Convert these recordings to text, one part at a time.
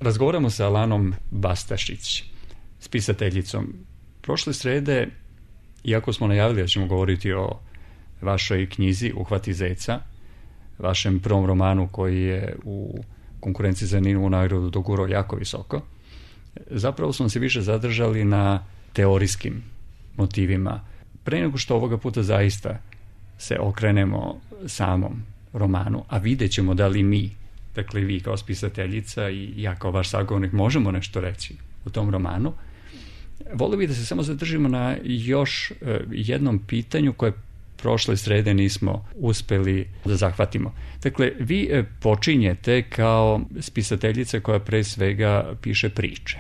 Razgovaramo sa Alanom Bastašić, spisateljicom. Prošle srede, iako smo najavili da ćemo govoriti o vašoj knjizi Uhvati zeca, vašem prvom romanu koji je u konkurenciji za Ninovu nagradu dogurao jako visoko, zapravo smo se više zadržali na teorijskim motivima. Pre nego što ovoga puta zaista se okrenemo samom romanu, a vidjet ćemo da li mi, dakle vi kao spisateljica i ja kao vaš sagovornik, možemo nešto reći u tom romanu, volio bih da se samo zadržimo na još jednom pitanju koje prošle srede nismo uspeli da zahvatimo. Dakle, vi počinjete kao spisateljica koja pre svega piše priče.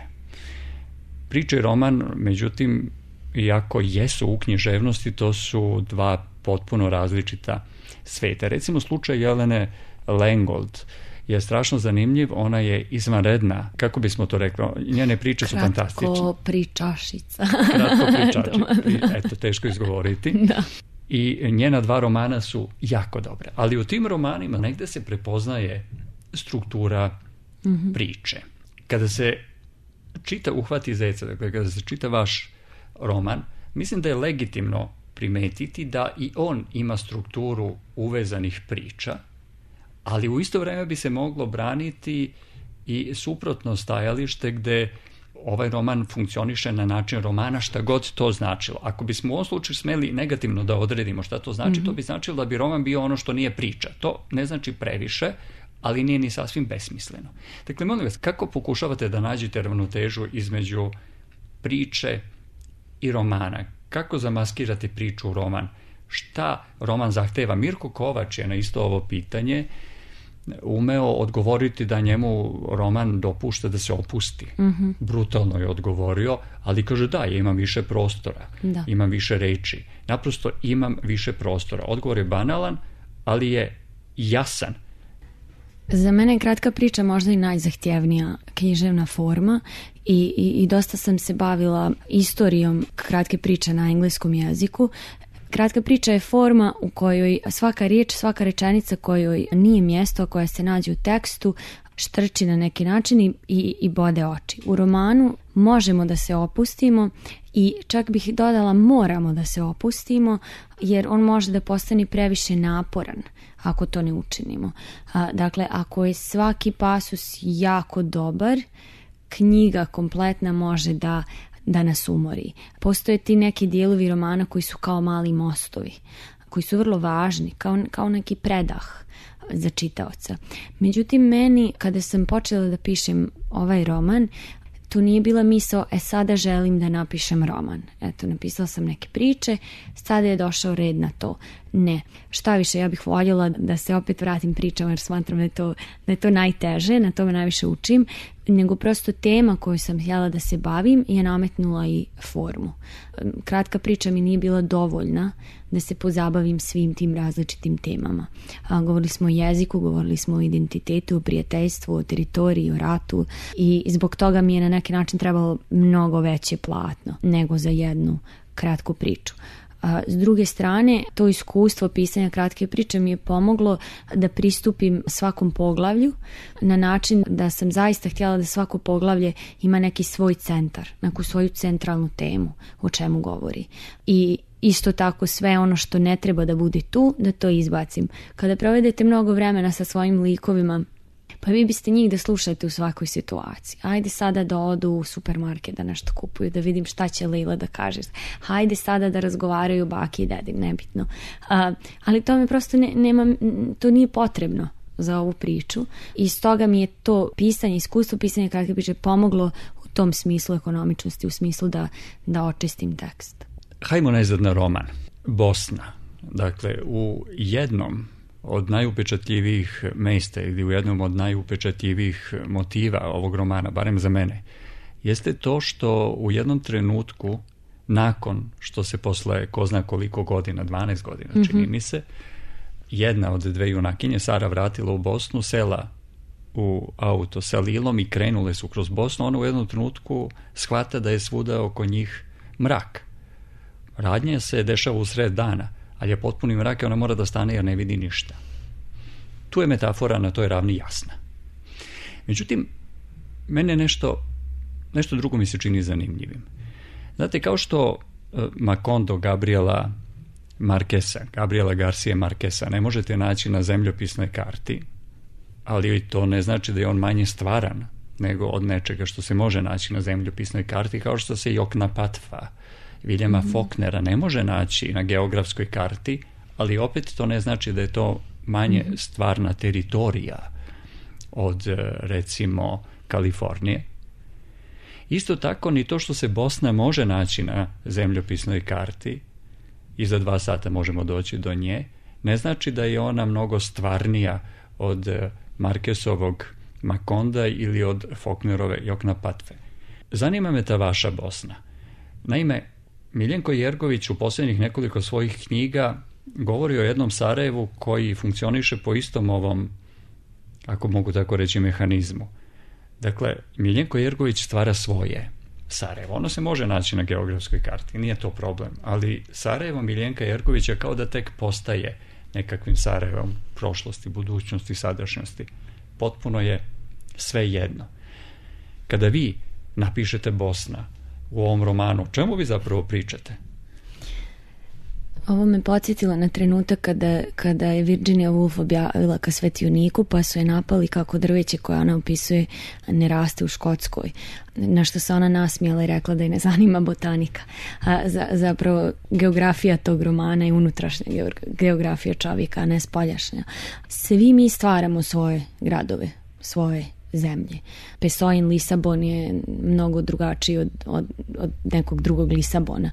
Priče i roman, međutim, iako jesu u književnosti, to su dva potpuno različita sveta. Recimo, slučaj Jelene Lengold je strašno zanimljiv, ona je izvanredna, kako bismo to rekli, njene priče su fantastične. Kratko pričašica. Kratko pričašica, eto, teško izgovoriti. Da. I njena dva romana su jako dobre, ali u tim romanima negde se prepoznaje struktura priče. Kada se čita Uhvati zeca, dakle kada se čita vaš roman, mislim da je legitimno primetiti da i on ima strukturu uvezanih priča, ali u isto vreme bi se moglo braniti i suprotno stajalište gde ovaj roman funkcioniše na način romana, šta god to značilo. Ako bismo u ovom slučaju smeli negativno da odredimo šta to znači, to bi značilo da bi roman bio ono što nije priča. To ne znači previše, ali nije ni sasvim besmisleno. Dakle, molim vas, kako pokušavate da nađete ravnotežu između priče i romana? Kako zamaskirate priču u roman? Šta roman zahteva? Mirko Kovač je na isto ovo pitanje umeo odgovoriti da njemu roman dopušta da se opusti. Brutalno je odgovorio, ali kaže da, ja imam više prostora, imam više reči. Naprosto imam više prostora. Odgovor je banalan, ali je jasan. Za mene je kratka priča možda i najzahtjevnija književna forma i dosta sam se bavila istorijom kratke priče na engleskom jeziku. Kratka priča je forma u kojoj svaka riječ, svaka rečenica kojoj nije mjesto, koja se nađe u tekstu, štrči na neki način i bode oči. U romanu možemo da se opustimo i čak bih dodala moramo da se opustimo, jer on može da postane previše naporan ako to ne učinimo. Dakle, ako je svaki pasus jako dobar, knjiga kompletna može da nas umori. Postoje ti neki dijelovi romana koji su kao mali mostovi, koji su vrlo važni, kao neki predah za čitaoca. Međutim, meni, kada sam počela da pišem ovaj roman, tu nije bila misao, sada želim da napišem roman. Eto, napisala sam neke priče, sada je došao red na to. Ne. Šta više, ja bih voljela da se opet vratim pričama, jer smatram da je to najteže, na tome najviše učim, nego prosto tema koju sam htjela da se bavim je nametnula i formu. Kratka priča mi nije bila dovoljna da se pozabavim svim tim različitim temama. Govorili smo o jeziku, govorili smo o identitetu, o prijateljstvu, o teritoriji, o ratu i zbog toga mi je na neki način trebalo mnogo veće platno nego za jednu kratku priču. S druge strane, to iskustvo pisanja kratke priče mi je pomoglo da pristupim svakom poglavlju na način da sam zaista htjela da svako poglavlje ima neki svoj centar, neku svoju centralnu temu o čemu govori. I isto tako sve ono što ne treba da bude tu, da to izbacim. Kada provedete mnogo vremena sa svojim likovima, pa vi biste njih da slušate u svakoj situaciji. Hajde sada da odu u supermarket da nešto kupuju, da vidim šta će Lila da kaže. Hajde sada da razgovaraju baki i dedi, nebitno. Ali to mi prosto to nije potrebno za ovu priču. I stoga mi je to pisanje, iskustvo pisanja kratke priče pomoglo u tom smislu ekonomičnosti, u smislu da očistim tekst. Hajmo najzad na roman. Bosna. Dakle, u jednom od najupečatljivijih mesta ili u jednom od najupečatljivijih motiva ovog romana, barem za mene, jeste to što u jednom trenutku, nakon što se posle ko zna koliko godina, 12 godina čini mi se, jedna od dve junakinje, Sara, vratila u Bosnu, sela u auto sa Lilom i krenule su kroz Bosnu, ona u jednom trenutku shvata da je svuda oko njih mrak. Radnja se dešava u sred dana, ali je potpuni mrak i ona mora da stane jer ne vidi ništa. Tu je metafora na toj ravni jasna. Međutim, mene nešto drugo mi se čini zanimljivim. Znate, kao što Macondo Gabriela Garcia Marqueza ne možete naći na zemljopisnoj karti, ali to ne znači da je on manje stvaran nego od nečega što se može naći na zemljopisnoj karti, kao što se Joknapatfa Viljama Faulknera ne može naći na geografskoj karti, ali opet to ne znači da je to manje stvarna teritorija od, recimo, Kalifornije. Isto tako ni to što se Bosna može naći na zemljopisnoj karti i za 2 sata možemo doći do nje, ne znači da je ona mnogo stvarnija od Marquezovog Maconda ili od Faulknerove Joknapatfe. Zanima me ta vaša Bosna. Naime, Miljenko Jergović u posljednjih nekoliko svojih knjiga govori o jednom Sarajevu koji funkcioniše po istom ovom, ako mogu tako reći, mehanizmu. Dakle, Miljenko Jergović stvara svoje Sarajevo. Ono se može naći na geografskoj karti, nije to problem, ali Sarajevo Miljenka Jergovića kao da tek postaje nekakvim Sarajevom prošlosti, budućnosti, sadašnjosti. Potpuno je sve jedno. Kada vi napišete Bosna u ovom romanu, o čemu vi zapravo pričate? Ovo me podsjetilo na trenutak kada je Virginia Woolf objavila Ka svetioniku, pa su je napali kako drveće koje ona opisuje ne raste u Škotskoj. Na što se ona nasmijala i rekla da je ne zanima botanika. Zapravo geografija tog romana je unutrašnja geografija čovjeka, a ne spoljašnja. Svi mi stvaramo svoje gradove, svoje zemlje. Pesojin Lisabon je mnogo drugačiji od nekog drugog Lisabona.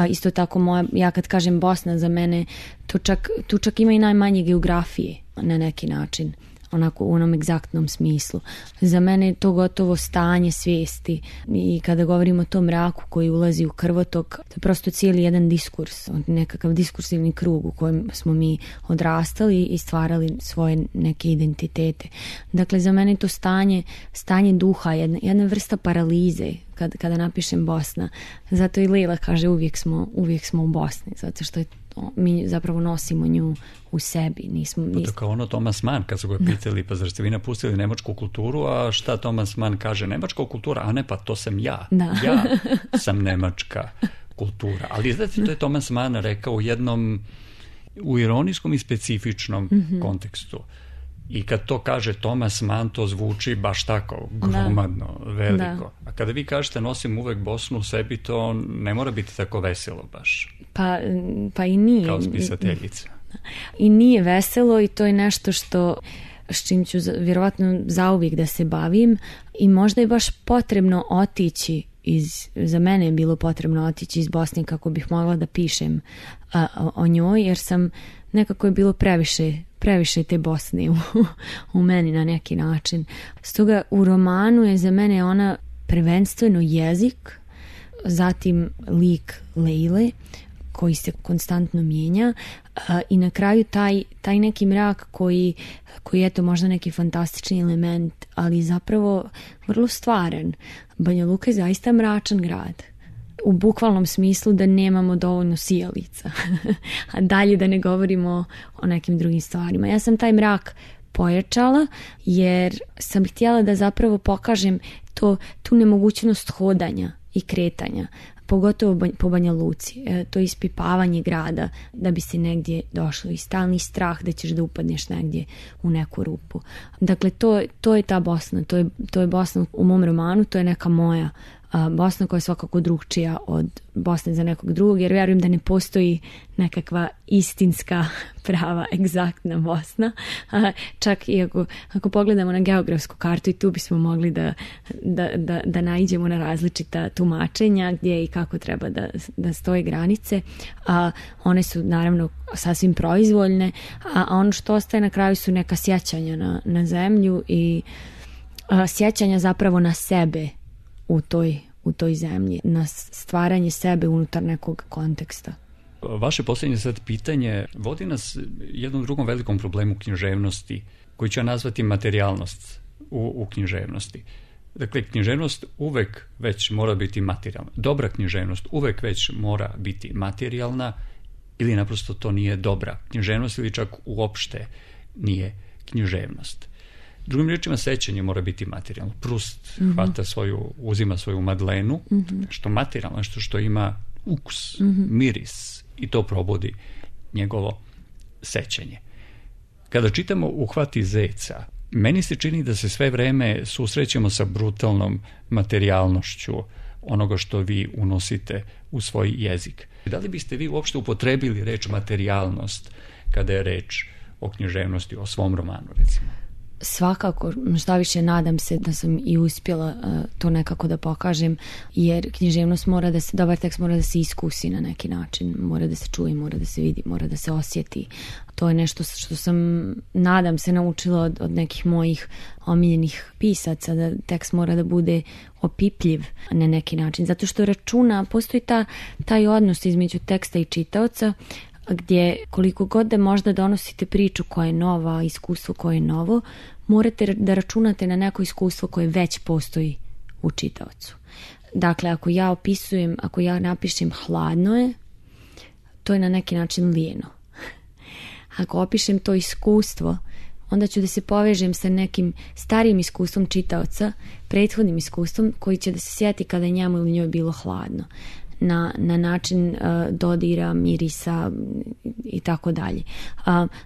Isto tako ja kad kažem Bosna, za mene tu čak ima i najmanje geografije na neki način, onako u onom egzaktnom smislu. Za mene je to gotovo stanje svijesti i kada govorimo o tom mraku koji ulazi u krvotok, to je prosto cijeli jedan diskurs, nekakav diskursivni krug u kojem smo mi odrastali i stvarali svoje neke identitete. Dakle, za mene je to stanje duha, jedna vrsta paralize kada napišem Bosna. Zato i Lejla kaže uvijek smo u Bosni, zato što mi zapravo nosimo nju u sebi. To kao ono Thomas Mann, kad su ga pitali, pa zar ste vi napustili nemačku kulturu, a šta Thomas Mann kaže? Nemačka kultura, a ne, pa to sam ja. Da. Ja sam nemačka kultura. Ali znate, to je Thomas Mann rekao u ironijskom i specifičnom kontekstu. I kad to kaže Thomas Mann, to zvuči baš tako gromadno, veliko. A kada vi kažete nosim uvek Bosnu u sebi, to ne mora biti tako veselo baš. Pa i nije. Kao spisateljica. I nije veselo i to je nešto s čim ću vjerovatno zauvijek da se bavim i možda je baš potrebno otići za mene je bilo potrebno otići iz Bosne kako bih mogla da pišem o njoj, jer sam nekako je bilo previše te Bosne u meni na neki način. Stoga u romanu je za mene ona prvenstveno jezik, zatim lik Lejle koji se konstantno mijenja i na kraju taj neki mrak koji je to možda neki fantastični element, ali zapravo vrlo stvaran. Banja Luka je zaista mračan grad. U bukvalnom smislu da nemamo dovoljno sijalica. A dalje da ne govorimo o nekim drugim stvarima. Ja sam taj mrak pojačala jer sam htjela da zapravo pokažem tu nemogućnost hodanja i kretanja. Pogotovo po Banja Luci. To ispipavanje grada da bi se negdje došlo i stalni strah da ćeš da upadneš negdje u neku rupu. Dakle, to je ta Bosna. To je Bosna u mom romanu, to je neka moja Bosna koja je svakako drugčija od Bosne za nekog drugog, jer vjerujem da ne postoji nekakva istinska, prava, egzaktna Bosna. Čak i ako pogledamo na geografsku kartu i tu bismo mogli da naiđemo na različita tumačenja gdje i kako treba da stoje granice. One su naravno sasvim proizvoljne, a ono što ostaje na kraju su neka sjećanja na zemlju i sjećanja zapravo na sebe u toj zemlji, na stvaranje sebe unutar nekog konteksta. Vaše posljednje sad pitanje vodi nas jednom drugom velikom problemu književnosti, koji ću ja nazvati materijalnost u književnosti. Dakle, književnost uvek već mora biti materijalna. Dobra književnost uvek već mora biti materijalna ili naprosto to nije dobra književnost ili čak uopšte nije književnost. Drugim riječima, sećanje mora biti materijalno. Prust uzima svoju Madlenu, što materijalno, nešto što ima ukus, miris, i to probudi njegovo sećanje. Kada čitamo Uhvati zeca, meni se čini da se sve vreme susrećemo sa brutalnom materijalnošću onoga što vi unosite u svoj jezik. Da li biste vi uopšte upotrebili reč materijalnost kada je reč o književnosti, o svom romanu, recimo? Svakako, šta više, nadam se da sam i uspjela to nekako da pokažem, jer književnost dobar tekst mora da se iskusi na neki način, mora da se čuje, mora da se vidi, mora da se osjeti. To je nešto što sam, nadam se, naučila od nekih mojih omiljenih pisaca, da tekst mora da bude opipljiv na neki način, zato što postoji taj odnos između teksta i čitaoca, gdje koliko god da možda donosite priču koja je nova, iskustvo koje je novo, morate da računate na neko iskustvo koje već postoji u čitaocu. Dakle, ako ja napišem hladno je, to je na neki način lijeno. Ako opišem to iskustvo, onda ću da se povežem sa nekim starijim iskustvom čitaoca, prethodnim iskustvom, koji će da se sjeti kada je njemu ili njoj bilo hladno. Na način dodira, mirisa i tako dalje.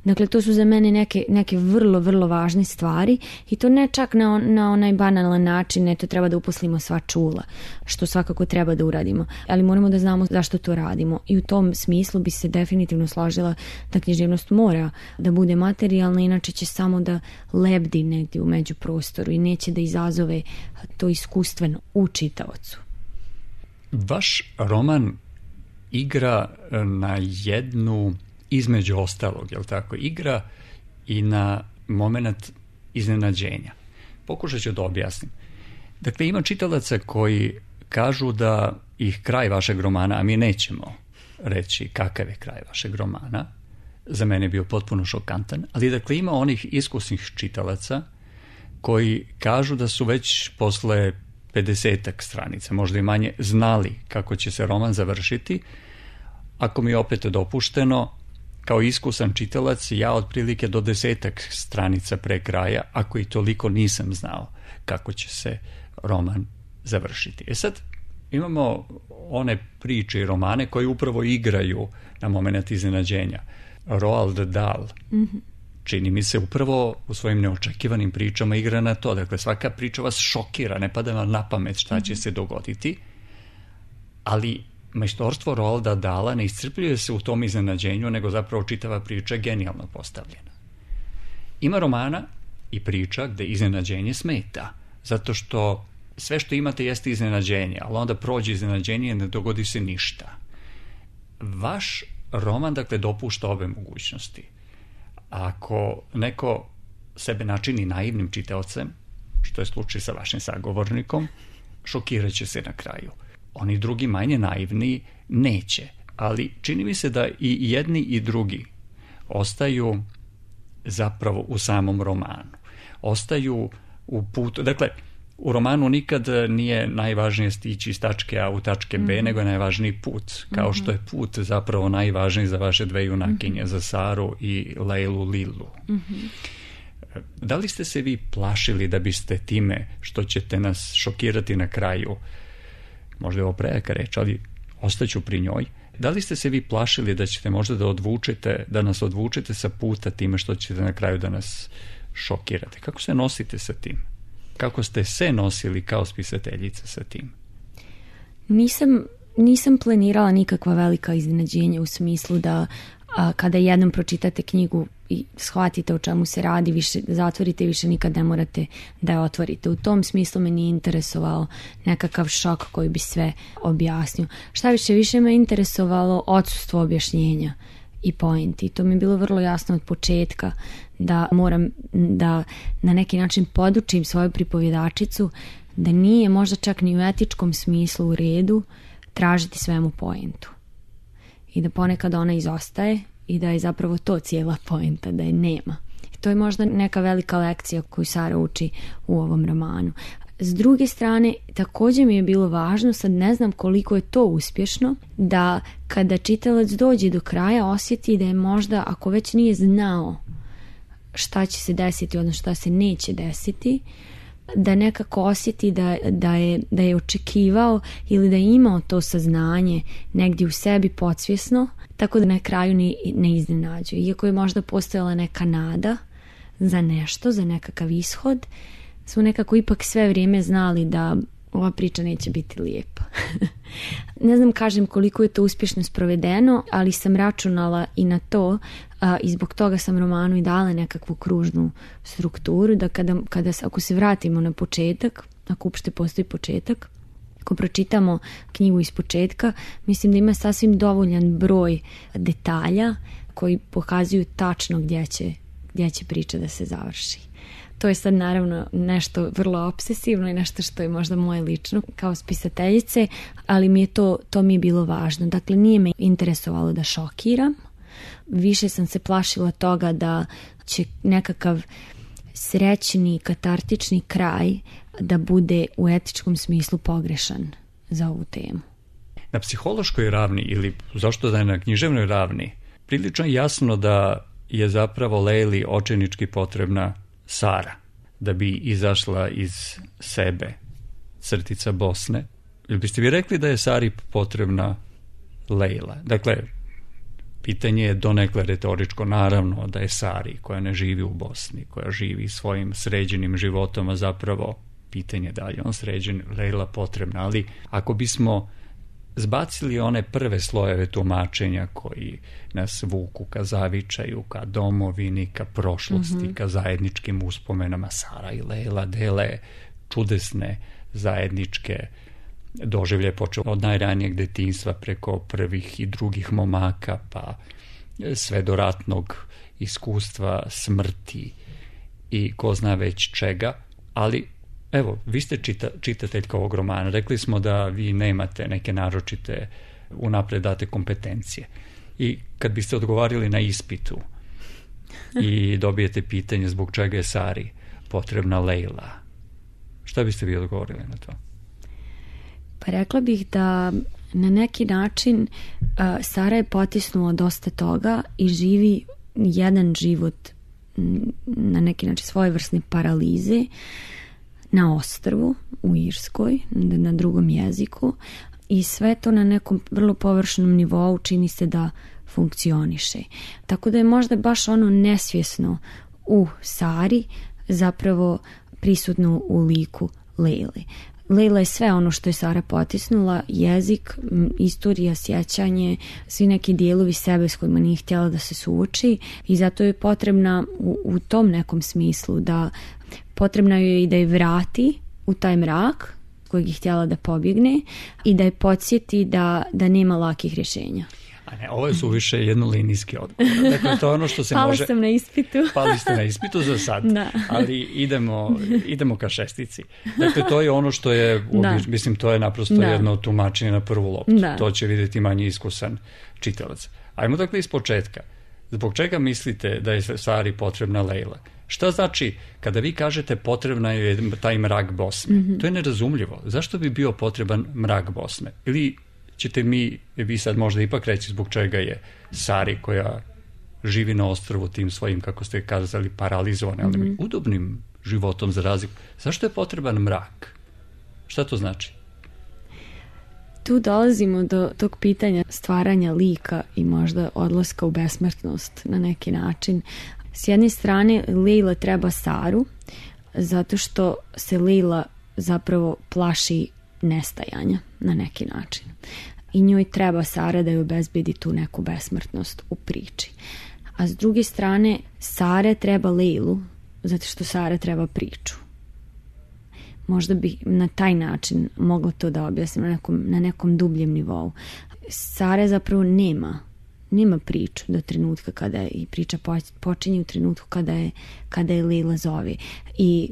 Dakle, to su za mene neke vrlo, vrlo važne stvari, i to ne čak na onaj banalan način, to treba da uposlimo sva čula, što svakako treba da uradimo, ali moramo da znamo zašto to radimo, i u tom smislu bi se definitivno složila da književnost mora da bude materijalna, inače će samo da lebdi negdje u međuprostoru i neće da izazove to iskustveno u čitaocu. Vaš roman igra na jednu, između ostalog, jel tako, igra i na moment iznenađenja. Pokušat ću da objasnim. Dakle, ima čitalaca koji kažu da ih kraj vašeg romana, a mi nećemo reći kakav je kraj vašeg romana, za mene je bio potpuno šokantan, ali dakle ima onih iskusnih čitalaca koji kažu da su već posle 50-ak stranica, možda i manje, znali kako će se roman završiti. Ako mi je opet dopušteno, kao iskusan čitalac, ja otprilike do 10-ak stranica pre kraja, ako i toliko, nisam znao kako će se roman završiti. Sad, imamo one priče i romane koji upravo igraju na moment iznenađenja. Roald Dahl, čini mi se, upravo u svojim neočekivanim pričama igra na to. Dakle, svaka priča vas šokira, ne pada vam na pamet šta će se dogoditi, ali majstorstvo Roalda Dahla ne iscrpljuje se u tom iznenađenju, nego zapravo čitava priča je genijalno postavljena. Ima romana i priča gde iznenađenje smeta, zato što sve što imate jeste iznenađenje, ali onda prođe iznenađenje i ne dogodi se ništa. Vaš roman, dakle, dopušta obe mogućnosti. Ako neko sebe načini naivnim čitaocem, što je slučaj sa vašim sagovornikom, šokirat će se na kraju. Oni drugi, manje naivni, neće. Ali čini mi se da i jedni i drugi ostaju zapravo u samom romanu. Ostaju u putu. Dakle, u romanu nikad nije najvažnije stići iz tačke A u tačke B, nego je najvažniji put. Kao što je put zapravo najvažniji za vaše dve junakinje, za Saru i Leilu Lilu. Da li ste se vi plašili da biste time što ćete nas šokirati na kraju, možda je ovo prejaka reč, ali ostaću pri njoj, da li ste se vi plašili da ćete možda da nas odvučete sa puta time što ćete na kraju da nas šokirate? Kako se nosite sa tim? Kako ste se nosili kao spisateljica sa tim? Nisam planirala nikakva velika iznenađenja, u smislu da kada jednom pročitate knjigu i shvatite o čemu se radi, više zatvorite i više nikad ne morate da je otvorite. U tom smislu me nije interesovao nekakav šok koji bi sve objasnio. Šta više me interesovalo odsustvo objašnjenja i pointi. To mi je bilo vrlo jasno od početka, da moram da na neki način podučim svoju pripovjedačicu da nije možda čak ni u etičkom smislu u redu tražiti svemu pointu. I da ponekad ona izostaje i da je zapravo to cijela pointa, da je nema. I to je možda neka velika lekcija koju Sara uči u ovom romanu. S druge strane, također mi je bilo važno, sad ne znam koliko je to uspješno, da kada čitalac dođe do kraja osjeti da je možda, ako već nije znao šta će se desiti, odnosno šta se neće desiti, da nekako osjeti da je očekivao ili da je imao to saznanje negdje u sebi podsvjesno, tako da na kraju ne iznenađuje. Iako je možda postojala neka nada za nešto, za nekakav ishod, smo nekako ipak sve vrijeme znali da ova priča neće biti lijepa. Ne znam, kažem, koliko je to uspješno sprovedeno, ali sam računala i na to i zbog toga sam romanu i dala nekakvu kružnu strukturu, da ako se vratimo na početak, ako uopšte postoji početak, ako pročitamo knjigu iz početka, mislim da ima sasvim dovoljan broj detalja koji pokazuju tačno gdje će priča da se završi. To je sad naravno nešto vrlo obsesivno i nešto što je možda moje lično kao spisateljice, ali to mi je bilo važno. Dakle, nije me interesovalo da šokiram, više sam se plašila toga da će nekakav srećni, katartični kraj da bude u etičkom smislu pogrešan za ovu temu. Na psihološkoj ravni ili zašto da je na književnoj ravni, prilično je jasno da je zapravo Leili očajnički potrebna Sara da bi izašla iz sebe, crtica Bosne. Ili biste vi rekli da je Sari potrebna Leila? Dakle, pitanje je donekle retoričko, naravno da je Sari, koja ne živi u Bosni, koja živi svojim sređenim životom, a zapravo pitanje da li je on sređen, Leila potrebna. Ali ako bismo zbacili one prve slojeve tumačenja koji nas vuku ka zavičaju, ka domovini, ka prošlosti, ka zajedničkim uspomenama, Sara i Leila dele čudesne zajedničke doživlje, počeo od najranijeg detinjstva preko prvih i drugih momaka, pa sve do ratnog iskustva, smrti i ko zna već čega. Ali evo, vi ste čitateljka ovog romana. Rekli smo da vi nemate neke naročite unapred date kompetencije. I kad biste odgovarili na ispitu i dobijete pitanje zbog čega je Sari potrebna Leila, šta biste vi odgovorili na to? Pa rekla bih da na neki način Sara je potisnula dosta toga i živi jedan život na neki način svojevrsne paralize na ostrvu u Irskoj, na drugom jeziku, i sve to na nekom vrlo površnom nivou čini se da funkcioniše. Tako da je možda baš ono nesvjesno u Sari zapravo prisutno u liku Leile. Leila je sve ono što je Sara potisnula, jezik, istorija, sjećanje, svi neki dijelovi sebe s kojima nije htjela da se suoči, i zato je potrebna u tom nekom smislu da potrebno je i da je vrati u taj mrak kojeg je htjela da pobjegne i da je podsjeti da nema lakih rješenja. A ne, ovo je suviše jednolinijski odgovor. Dakle, to je ono što se Pala može... sam na ispitu. Pali ste na ispitu za sad, da. Ali idemo ka šestici. Dakle, to je ono što je, mislim, to je naprosto jedno tumačenje na prvu loptu. Da. To će vidjeti manje iskusan čitalac. Ajmo dakle iz početka. Zbog čega mislite da je Sari potrebna Leila? Šta znači kada vi kažete potrebna je taj mrak Bosne? To je nerazumljivo. Zašto bi bio potreban mrak Bosne? Ili ćete vi sad možda ipak reći zbog čega je Sari, koja živi na ostrvu tim svojim, kako ste kazali, paralizovanim, ali udobnim životom za razliku. Zašto je potreban mrak? Šta to znači? Tu dolazimo do tog pitanja stvaranja lika i možda odlaska u besmrtnost na neki način. S jedne strane, Leila treba Saru zato što se Leila zapravo plaši nestajanja na neki način. I njoj treba Sara da joj obezbedi tu neku besmrtnost u priči. A s druge strane, Sara treba Leilu zato što Sara treba priču. Možda bi na taj način mogla to da objasnim na nekom dubljem nivou. Sara zapravo nema priču do trenutka kada je, i priča počinje u trenutku kada je Leila zove. I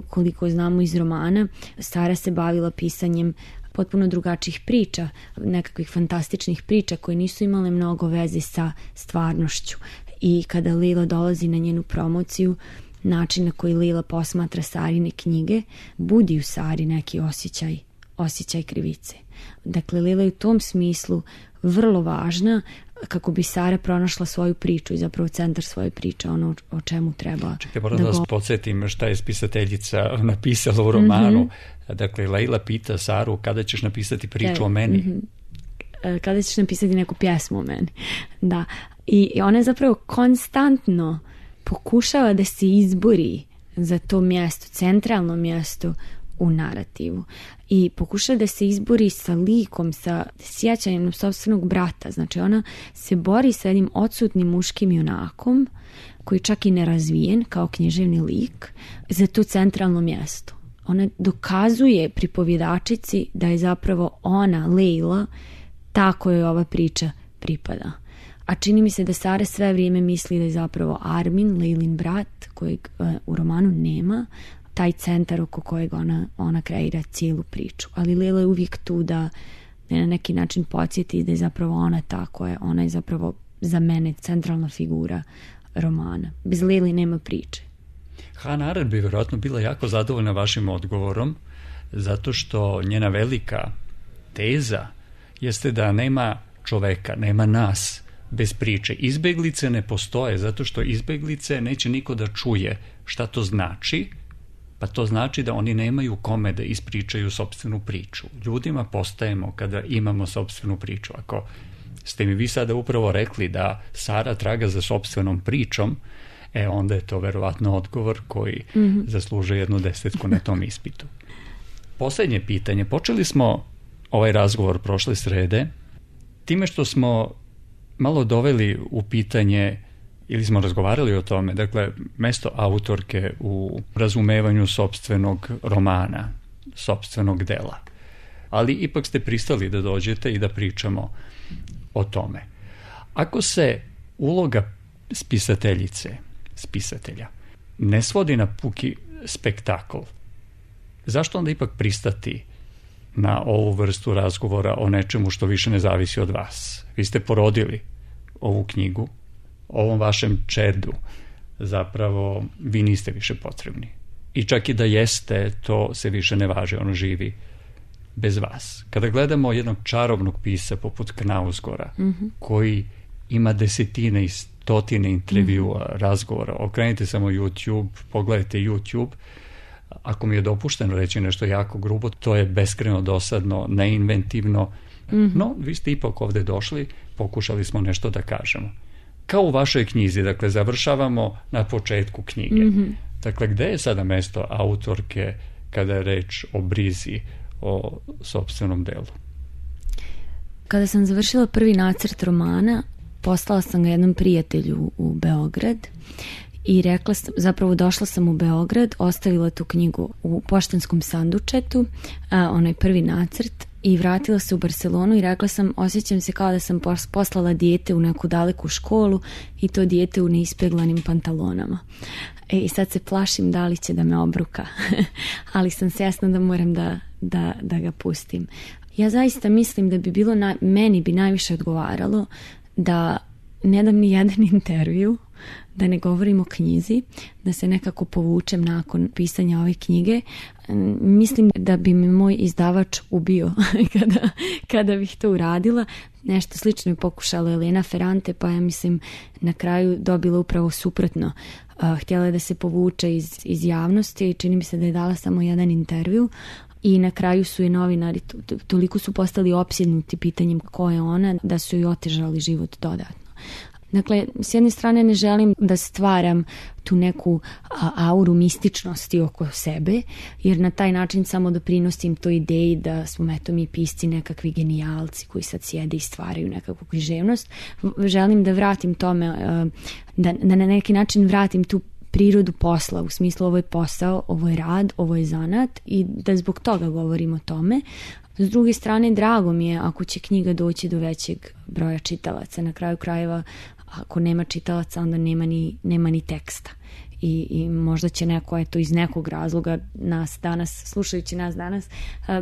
koliko znamo iz romana, Sara se bavila pisanjem potpuno drugačijih priča, nekakvih fantastičnih priča koje nisu imale mnogo veze sa stvarnošću. I kada Leila dolazi na njenu promociju, način na koji Leila posmatra Sarine knjige budi u Sari neki osjećaj krivice. Dakle, Leila je u tom smislu vrlo važna kako bi Sara pronašla svoju priču i zapravo centar svoje priče, ono o čemu treba. Čekaj, moram da vas podsjetim šta je spisateljica napisala u romanu. Dakle, Leila pita Saru kada ćeš napisati priču o meni. Kada ćeš napisati neku pjesmu o meni. Da. I ona zapravo konstantno pokušava da se izbori za to mjesto, centralno mjesto u narativu. I pokušava da se izbori sa likom, sa sjećanjem sopstvenog brata. Znači ona se bori sa jednim odsutnim muškim junakom koji čak i nerazvijen kao književni lik za to centralno mjesto. Ona dokazuje pripovjedačici da je zapravo ona, Leila, ta kojoj ova priča pripada. A čini mi se da Sara sve vrijeme misli da je zapravo Armin, Leilin brat, kojeg u romanu nema, taj centar oko kojeg ona kreira cijelu priču. Ali Leila je uvijek tu da na neki način podsjeti da je zapravo ona ta ona je zapravo za mene centralna figura romana. Bez Leili nema priče. Hannah Arendt bi vjerojatno bila jako zadovoljna vašim odgovorom, zato što njena velika teza jeste da nema čoveka, nema nas bez priče. Izbeglice ne postoje, zato što izbeglice neće niko da čuje šta to znači, pa to znači da oni nemaju kome da ispričaju sopstvenu priču. Ljudima postajemo kada imamo sopstvenu priču. Ako ste mi vi sada upravo rekli da Sara traga za sopstvenom pričom, onda je to verovatno odgovor koji zaslužuje 1 desetku na tom ispitu. Posljednje pitanje. Počeli smo ovaj razgovor prošle srede time što smo malo doveli u pitanje ili smo razgovarali o tome, dakle, mesto autorke u razumevanju sopstvenog romana, sopstvenog dela. Ali ipak ste pristali da dođete i da pričamo o tome. Ako se uloga spisatelja ne svodi na puki spektakl, zašto onda ipak pristati na ovu vrstu razgovora o nečemu što više ne zavisi od vas? Vi ste porodili ovu knjigu, ovom vašem čedu zapravo vi niste više potrebni. I čak i da jeste, to se više ne važi, ono živi bez vas. Kada gledamo jednog čarobnog pisca poput Knausgora, koji ima desetine i stotine intervjua, razgovora, okrenite samo YouTube, pogledajte YouTube, ako mi je dopušteno reći nešto jako grubo, to je beskrajno dosadno, neinventivno, no vi ste ipak ovdje došli, pokušali smo nešto da kažemo. Kao u vašoj knjizi, dakle, završavamo na početku knjige. Dakle, gde je sada mesto autorke kada je reč o brizi, o sopstvenom delu? Kada sam završila prvi nacrt romana, poslala sam ga jednom prijatelju u Beograd i rekla sam, zapravo došla sam u Beograd, ostavila tu knjigu u poštanskom sandučetu, onaj prvi nacrt, i vratila se u Barcelonu i rekla sam, osjećam se kao da sam poslala dijete u neku daleku školu i to dijete u neispeglanim pantalonama. I sad se plašim da li će da me obruka, ali sam svjesna da moram da ga pustim. Ja zaista mislim da bi bilo, meni bi najviše odgovaralo da ne dam ni jedan intervju, da ne govorim o knjizi, da se nekako povučem nakon pisanja ove knjige. Mislim da bi me moj izdavač ubio kada bih to uradila. Nešto slično je pokušala Elena Ferrante, pa ja mislim na kraju dobila upravo suprotno. Htjela je da se povuče iz javnosti i čini mi se da je dala samo jedan intervju. I na kraju su je novinari toliko su postali opsjednuti pitanjem ko je ona, da su joj otežali život dodatno. Dakle, s jedne strane ne želim da stvaram tu neku auru mističnosti oko sebe, jer na taj način samo doprinosim toj ideji da smo mi pisci nekakvi genijalci koji sad sjede i stvaraju nekakvu književnost. Želim da vratim tome, da na neki način vratim tu prirodu posla, u smislu ovo je posao, ovo je rad, ovo je zanat i da zbog toga govorim o tome. S druge strane, drago mi je ako će knjiga doći do većeg broja čitalaca. Na kraju krajeva, ako nema čitalaca, onda nema ni teksta. I možda će neko iz nekog razloga slušajući nas danas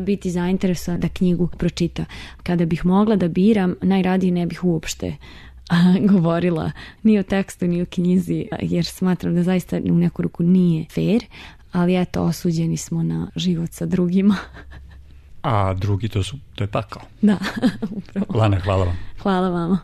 biti zainteresovan da knjigu pročita. Kada bih mogla da biram, najradije ne bih uopšte govorila ni o tekstu ni o knjizi, jer smatram da zaista u neku ruku nije fair, ali eto, osuđeni smo na život sa drugima. A drugi to je pakao. Da, upravo. Lana, hvala vam. Hvala vama.